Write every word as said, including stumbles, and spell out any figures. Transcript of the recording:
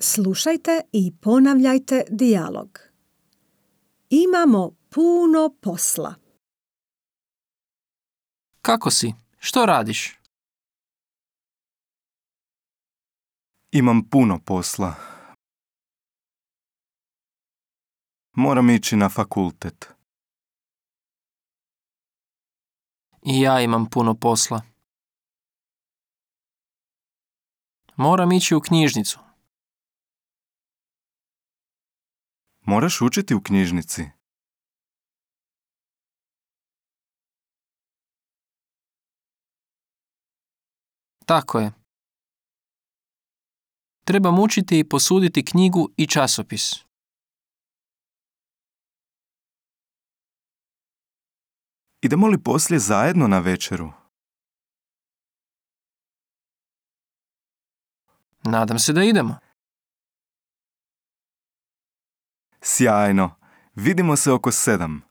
Slušajte i ponavljajte dijalog. Imamo puno posla. Kako si? Što radiš? Imam puno posla. Moram ići na fakultet. I ja imam puno posla. Moram ići u knjižnicu. Moraš učiti u knjižnici. Tako je. Trebam učiti i posuditi knjigu i časopis. Idemo li poslije zajedno na večeru? Nadam se da idemo. Sjajno. Vidimo se oko sedam.